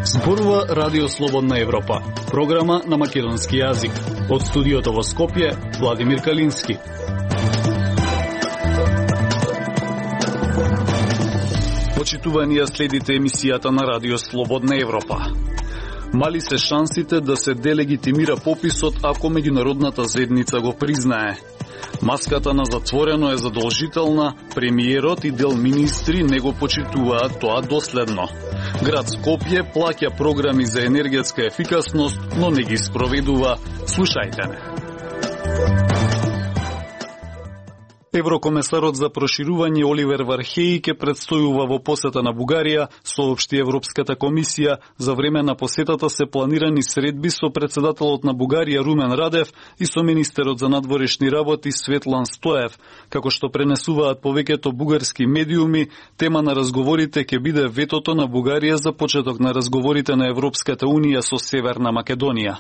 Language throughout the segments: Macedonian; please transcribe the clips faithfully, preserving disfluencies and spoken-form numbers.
Зборува Радио Слободна Европа, програма на македонски јазик. Од студиото во Скопје, Владимир Калински. Почитувани ја следите емисијата на Радио Слободна Европа. Мали се шансите да се делегитимира пописот ако меѓународната заедница го признае. Маската на затворено е задолжителна, премиерот и дел министри не го почитуваат тоа доследно. Град Скопје плаќа програми за енергетска ефикасност, но не ги спроведува. Слушајте ме. Еврокомесарот за проширување Оливер Вархеи ке предстојува во посета на Бугарија, соопшти Европската комисија. За време на посетата се планирани средби со председателот на Бугарија Румен Радев и со министерот за надворешни работи Светлан Стоев. Како што пренесуваат повеќето бугарски медиуми, тема на разговорите ќе биде ветото на Бугарија за почеток на разговорите на Европската унија со Северна Македонија.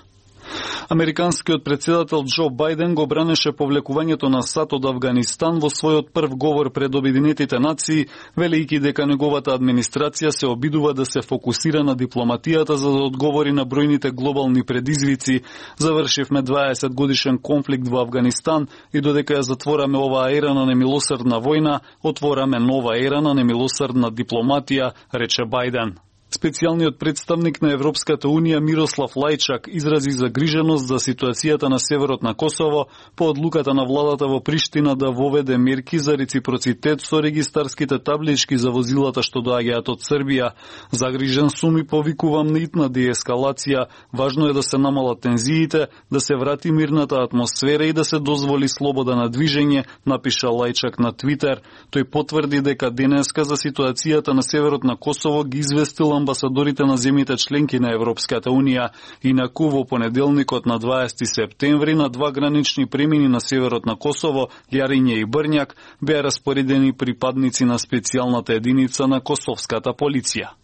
Американскиот председател Џо Бајден го бранеше повлекувањето на САД од Авганистан во својот прв говор пред Обединетите нации, велејќи дека неговата администрација се обидува да се фокусира на дипломатијата за да одговори на бројните глобални предизвици. Завршивме дваесет годишен конфликт во Авганистан и додека ја затвораме оваа ера на немилосрдна војна, отвораме нова ера на немилосрдна дипломатија, рече Бајден. Специјалниот представник на Европската унија Мирослав Лајчак изрази загриженост за ситуацијата на северот на Косово по одлуката на владата во Приштина да воведе мерки за реципроцитет со регистарските таблички за возилата што доаѓаат од Србија. Загрижен сум и повикувам на итна деескалација. Важно е да се намалат тензиите, да се врати мирната атмосфера и да се дозволи слобода на движење, напиша Лајчак на Твитер. Тој потврди дека денеска за ситуацијата на северот на Косово ги известил амбасадорите на земјите членки на Европската унија. Инаку во понеделникот на дваесети септември на два гранични премини на северот на Косово, Јариње и Брњак, беа распоредени припадници на специјалната единица на косовската полиција.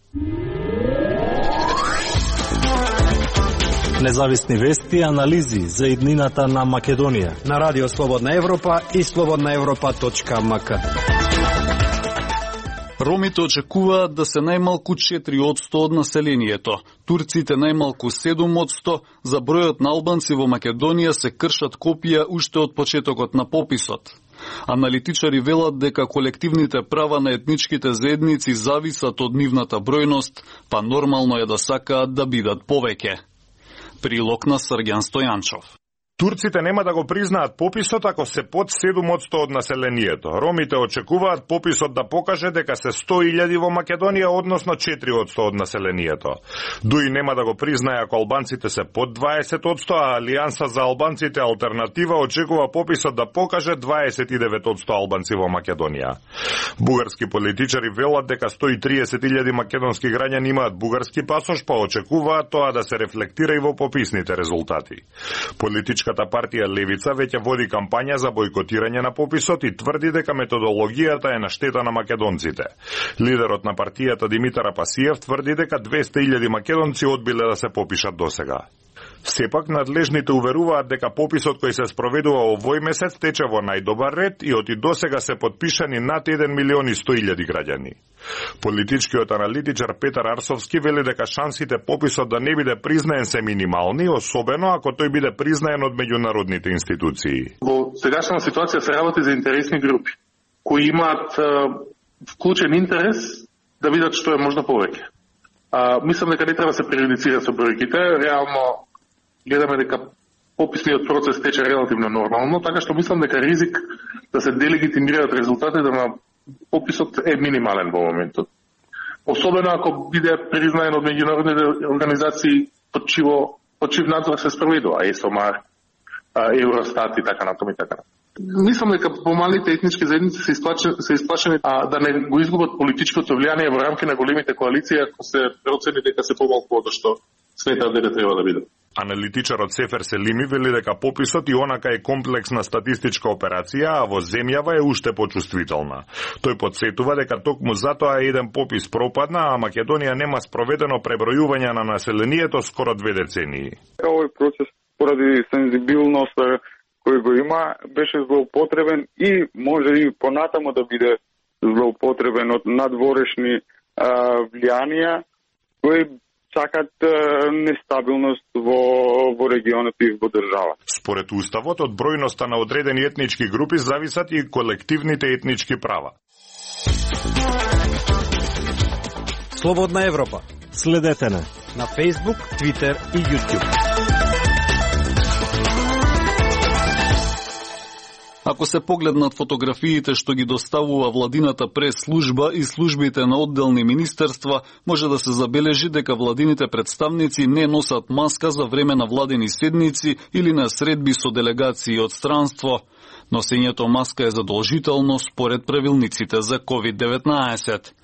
Независни вести и анализи за иднината на Македонија на Радио Слободна Европа и слободна европа точка ем ка. Ромите очекуваат да се најмалку четири одсто од населението. Турците најмалку седум одсто. За бројот на албанци во Македонија се кршат копија уште од почетокот на пописот. Аналитичари велат дека колективните права на етничките заедници зависат од нивната бројност, па нормално е да сакаат да бидат повеќе. Прилог на Срѓан Стојанчов. Турците нема да го признаат пописот ако се под седум одсто од населението. Ромите очекуваат пописот да покаже дека се сто илјади во Македонија, односно четири одсто од населението. Дуи нема да го признае ако албанците се под дваесет одсто, а Алијанса за албанците Алтернатива очекува пописот да покаже дваесет и девет одсто албанци во Македонија. Бугарски политичари велат дека сто и триесет илјади македонски граѓани имаат бугарски пасош, па очекуваат тоа да се рефлектира и во пописните резултати. Политички Политичката партија Левица веќе води кампања за бојкотирање на пописот и тврди дека методологијата е на штета на македонците. Лидерот на партијата Димитар Апасиев тврди дека двесте илјади македонци одбиле да се попишат досега. Сепак, надлежните уверуваат дека пописот кој се спроведува овој месец тече во најдобар ред и оти досега се подпишани над еден милион и сто илјади граѓани. Политичкиот аналитичар Петар Арсовски вели дека шансите пописот да не биде признаен се минимални, особено ако тој биде признаен од меѓународните институции. Во сегашна ситуација се работи за интересни групи, кои имаат вклучен интерес да видат што е можно повеќе. А, мислам дека не треба да се преюдицира со бројките, реално гледаме дека пописниот процес тече релативно нормално, така што мислам дека ризик да се делегитимираат резултатите на пописот е минимален во моментот. Особено ако биде признаен од меѓународните организации под чиво под чив надзор се спроведува, ЕСОМАР, Евростат и така натаму и така. Мислам дека помалите етнички заедници се исплашени, се исплашени а, да не го изгубат политичкото влијание во рамки на големите коалиции, ако се процени дека се помалку од што сметаат дека треба да бидат. Аналитичарот Сефер Селими вели дека пописот и онака е комплексна статистичка операција, а во земјава е уште почувствителна. Тој подсетува дека токму затоа еден попис пропадна, а Македонија нема спроведено пребројување на населението скоро две децении. Овој процес поради сензибилност кој го има беше злоупотребен и може и понатамо да биде злоупотребен од надворешни а, влијанија кои сакат а, нестабилност во, во регионот и во држава. Според уставот, од бројноста на одредени етнички групи зависат и колективните етнички права. Слободна Европа. Следете на на Facebook, Twitter и YouTube. Ако се погледнат фотографиите што ги доставува владината прес-служба и службите на одделни министерства, може да се забележи дека владините представници не носат маска за време на владени седници или на средби со делегации од странство. Носењето маска е задолжително според правилниците за ковид деветнаесет.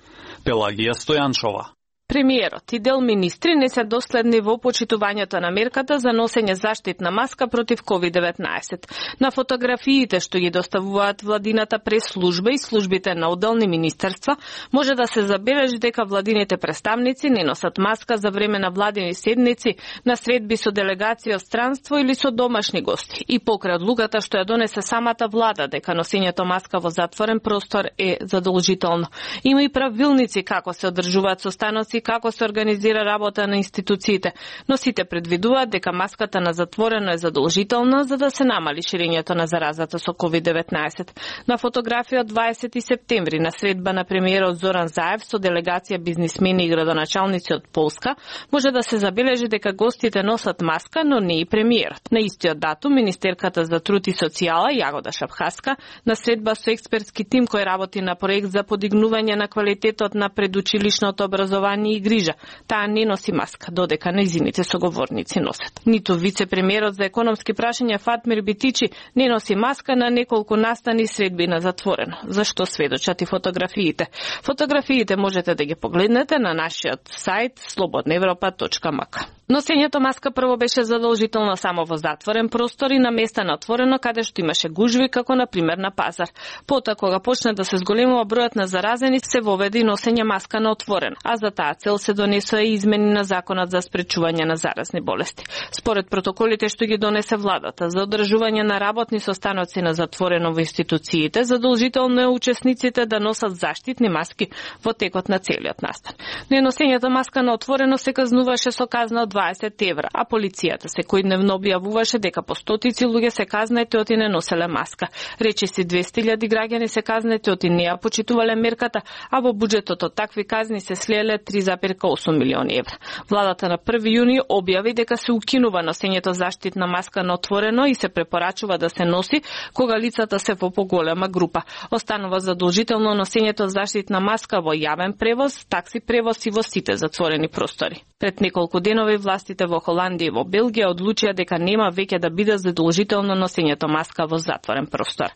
Пелагија Стојанчова. Премиерот и дел министри не се доследни во почитувањето на мерката за носење заштитна маска против ковид деветнаесет. На фотографиите што ги доставуваат владината прес-служба и службите на одделни министерства, може да се забележи дека владините представници не носат маска за време на владени седници, на средби со делегација од странство или со домашни гости. И покрај одлуката што ја донесе самата влада дека носењето маска во затворен простор е задолжително. Има и правилници како се одржуваат состаноци, како се организира работа на институциите, но сите предвидуваат дека маската на затворено е задолжителна за да се намали ширењето на заразата со ковид деветнаесет. На фотографија од дваесети септември на средба на премиерот Зоран Заев со делегација бизнисмени и градоначалници од Полска, може да се забележи дека гостите носат маска, но не и премиерот. На истиот датум, министерката за труд и социјала Јагода Шапхаска на средба со експертски тим кој работи на проект за подигнување на квалитетот на предучилишното образование и грижа. Таа не носи маска, додека нејзините соговорници носат. Ниту вице-премиерот за економски прашања Фатмир Битичи не носи маска на неколку настани средби на затворено. Зашто сведочат и фотографиите? Фотографиите можете да ги погледнете на нашиот сајт слободна европа точка м к. Носењето маска прво беше задолжително само во затворен простор и на места на отворено каде што имаше гужви, како на пример на пазар. Потоа кога почна да се зголемува бројот на заразени, се воведе и носење маска на отворено, а за таа цел се донесоа и измени на законот за спречување на заразни болести. Според протоколите што ги донесе владата за одржување на работни состаноци на затворено во институциите, задолжително е учесниците да носат заштитни маски во текот на целиот настан. Неносењето маска на отворено се казнуваше со казна од дваесет евра, а полицијата секојдневно објавуваше дека по стотици луѓе се казнети оти не носеле маска. Речиси двесте илјади граѓани се казнети оти не ја почитувале мерката, а во буџетот од такви казни се слеле три зарез осум милиони евра. Владата на први јуни објави дека се укинува носењето заштитна маска на отворено и се препорачува да се носи кога лицата се во поголема група. Останува задолжително носењето заштитна маска во јавен превоз, такси превоз и во сите затворени простори. Пред неколку денови властите во Холандија и во Белгија одлучија дека нема веќе да биде задолжително носењето маска во затворен простор.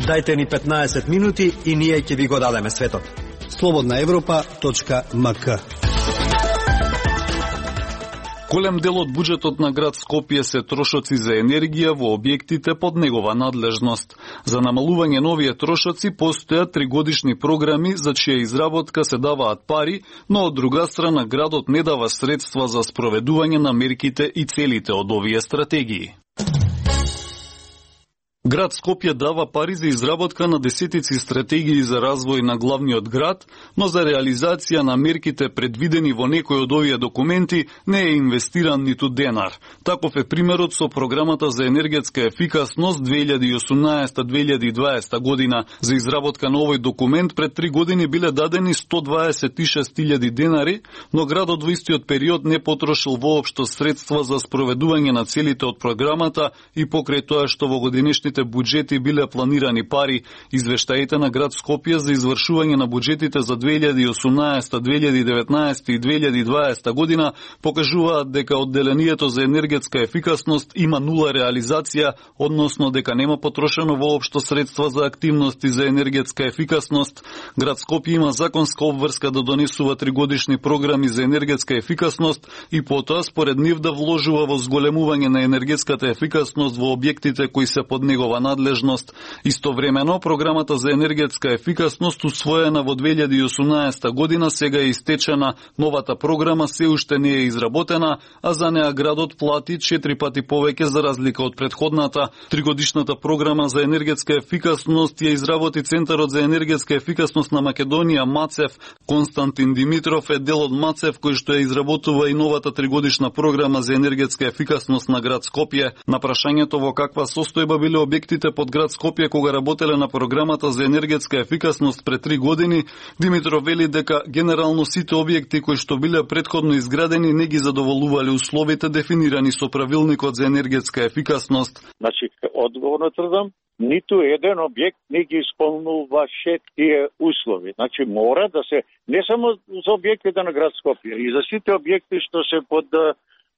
Дајте ни петнаесет минути и ние ќе ви го дадеме светот. слободна европа точка м к. Голем дел од буџетот на град Скопје се трошоци за енергија во објектите под негова надлежност. За намалување на овие трошоци постојат тригодишни програми за чија изработка се даваат пари, но од друга страна градот не дава средства за спроведување на мерките и целите од овие стратегии. Град Скопје дава пари за изработка на десетици стратегии за развој на главниот град, но за реализација на мерките предвидени во некој од овие документи не е инвестиран ниту денар. Таков е примерот со програмата за енергетска ефикасност две илјади и осумнаесета до две илјади и дваесета година. За изработка на овој документ пред три години биле дадени сто дваесет и шест илјади денари, но градот во истиот период не потрошил воопшто средства за спроведување на целите од програмата и покрај тоа што во годинешните буџети биле планирани пари, извештаите на град Скопје за извршување на буџетите за две илјади и осумнаесета, две илјади и деветнаесета и две илјади и дваесета година покажуваат дека одделението за енергетска ефикасност има нула реализација, односно дека нема потрошено воопшто средства за активности за енергетска ефикасност. Град Скопје има законска обврска да донесува тригодишни програми за енергетска ефикасност и потоа според нив да вложува во зголемување на енергетската ефикасност во објектите кои се под него негова надлежност. Истовремено, програмата за енергетска ефикасност усвоена во две илјади и осумнаесета година сега е истечена. Новата програма се уште не е изработена, а за неа градот плати четири пати повеќе за разлика од претходната. Тригодишната програма за енергетска ефикасност ја изработи Центарот за енергетска ефикасност на Македонија МАЦЕФ. Константин Димитров е дел од МАЦЕФ кој што ја изработува и новата тригодишна програма за енергетска ефикасност на град Скопје. На прашањето во каква состојба биле објектите под град Скопје кога работеле на програмата за енергетска ефикасност пред три години, Димитров вели дека генерално сите објекти кои што биле претходно изградени не ги задоволувале условите дефинирани со правилникот за енергетска ефикасност. Значи, одговорно тврдам, ниту еден објект не ги исполнуваше тие услови. Значи, мора да се, не само за објектите на град Скопје, и за сите објекти што се под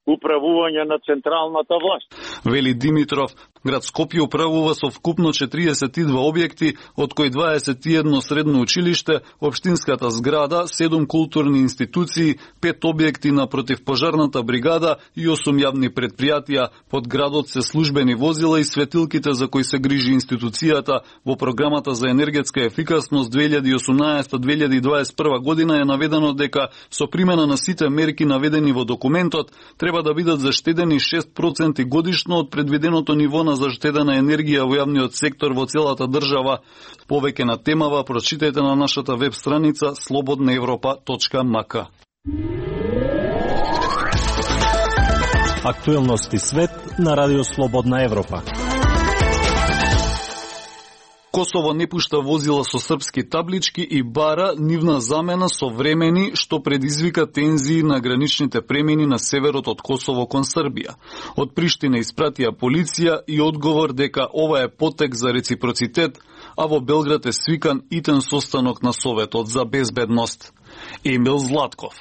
управување на централната власт. Вели Димитров, град Скопје управува со вкупно четириесет и два објекти, од кои дваесет и едно средно училиште, општинската зграда, седум културни институции, пет објекти на противпожарната бригада и осум јавни предпријатија. Под градот се службени возила и светилките за кои се грижи институцијата. Во програмата за енергетска ефикасност две илјади и осумнаесета до две илјади и дваесет и прва година е наведено дека со примена на сите мерки наведени во документот треба да бидат заштедени шест проценти годишно од предвиденото ниво на заштедена енергија во јавниот сектор во целата држава. Повеќе на темава прочитајте на нашата веб страница слободна европа точка м к. Актуелности свет на Радио Слободна Европа. Косово не пушта возила со српски таблички и бара нивна замена со времени, што предизвика тензии на граничните премини на северот од Косово кон Србија. Од Приштина испратија полиција и одговор дека ова е потек за реципроцитет, а во Белград е свикан итен состанок на Советот за безбедност. Емил Златков.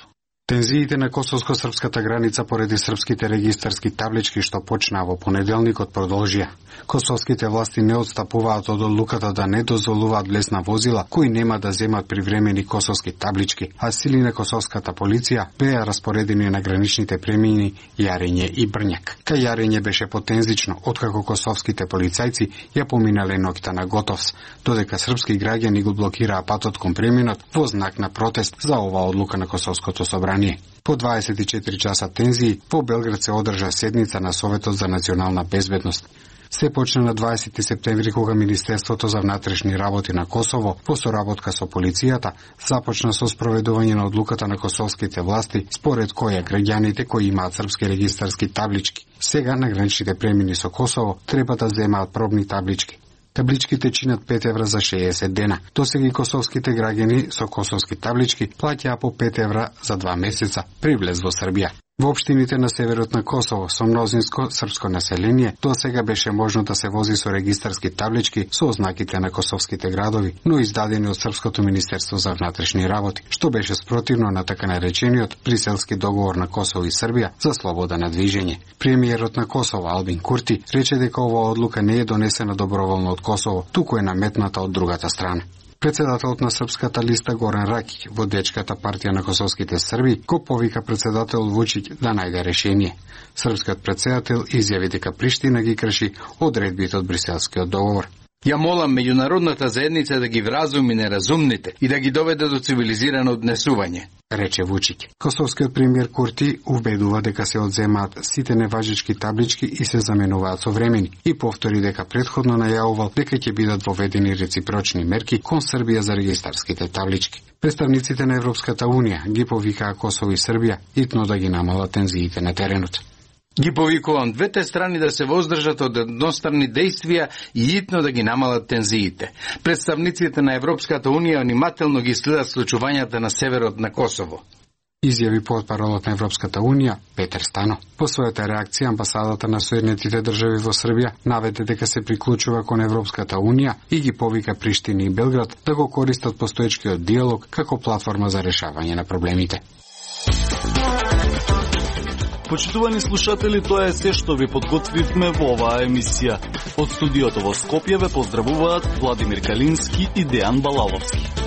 Тензиите на косовско-српската граница поради српските регистарски таблички што почнаа во понеделникот продолжија. Косовските власти не отстапуваат од одлуката да не дозволуваат влез на возила кои нема да земат привремени косовски таблички, а сили на косовската полиција беа распоредени на граничните премини Јарење и Брњак. Кај Јарење беше потензично, откако косовските полицајци ја поминале ноќта на Готовс, додека српски граѓани го блокираа патот кон преминот во знак на протест за оваа одлука на Косовското собрание. По дваесет и четири часа тензии, во Белград се одржа седница на Советот за национална безбедност. Се почна на дваесети септември кога Министерството за внатрешни работи на Косово, во соработка со полицијата, започна со спроведување на одлуката на косовските власти, според која граѓаните кои имаат српски регистарски таблички, сега на граничните премини со Косово треба да земаат пробни таблички. Табличките чинат пет евра за шеесет дена. Досега и косовските граѓани со косовски таблички плаќаа по пет евра за два месеца при влез во Србија. Во општините на северот на Косово со мнозинско српско население досега беше можно да се вози со регистарски таблички со ознаките на косовските градови, но издадени од Српското министерство за внатрешни работи, што беше спротивно на така наречениот Бриселски договор на Косово и Србија за слобода на движење. Премиерот на Косово Албин Курти рече дека оваа одлука не е донесена доброволно од Косово, туку е наметната од другата страна. Председателот на Српската листа Горан Ракиќ во Дечката партија на косовските Срби го повика председател Вучиќ да најде решение. Српскиот председател изјави дека Приштина ги крши одредбите од Бриселскиот договор. Ја молам меѓународната заедница да ги вразуми неразумните и да ги доведе до цивилизирано однесување, рече Вучиќ. Косовскиот премиер Курти убедува дека се одземаат сите неважечки таблички и се заменуваат со времени и повтори дека претходно најавувал дека ќе бидат воведени реципрочни мерки кон Србија за регистарските таблички. Представниците на Европската унија ги повикаа Косово и Србија итно да ги намалат тензиите на теренот. Ги повикувам двете страни да се воздржат од едностранни дејствија и итно да ги намалат тензиите. Представниците на Европската унија внимателно ги следат случувањата на северот на Косово, изјави портпаролот на Европската унија Петер Стано. По својата реакција амбасадата на Соединетите држави во Србија наведе дека се приклучува кон Европската унија и ги повика Приштина и Белград да го користат постоечкиот диалог како платформа за решавање на проблемите. Почитувани слушатели, тоа е се што ви подготвивме во оваа емисија. Од студиото во Скопје ве поздравуваат Владимир Калински и Дејан Балаловски.